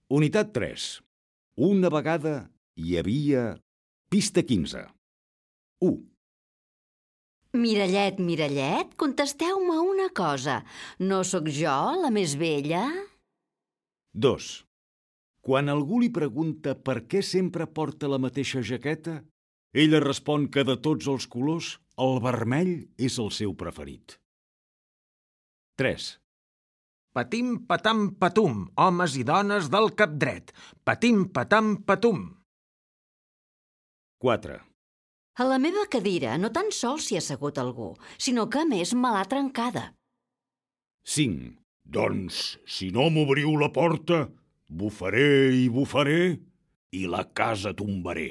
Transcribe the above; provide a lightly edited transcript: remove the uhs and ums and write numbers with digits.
Unitat 3. Una vegada hi havia... Pista 15. 1. Mirallet, mirallet, contesteu-me una cosa. No sóc jo la més vella? 2. Quan algú li pregunta per què sempre porta la mateixa jaqueta, ella respon que de tots els colors, el vermell és el seu preferit. 3. Patim, patam, patum, homes i dones del cap dret. Patim, patam, patum. 4. A la meva cadira no tan sols s'hi ha assegut algú, sinó que a més me l'ha trencada. 5. Doncs, si no m'obriu la porta, bufaré i bufaré i la casa tombaré.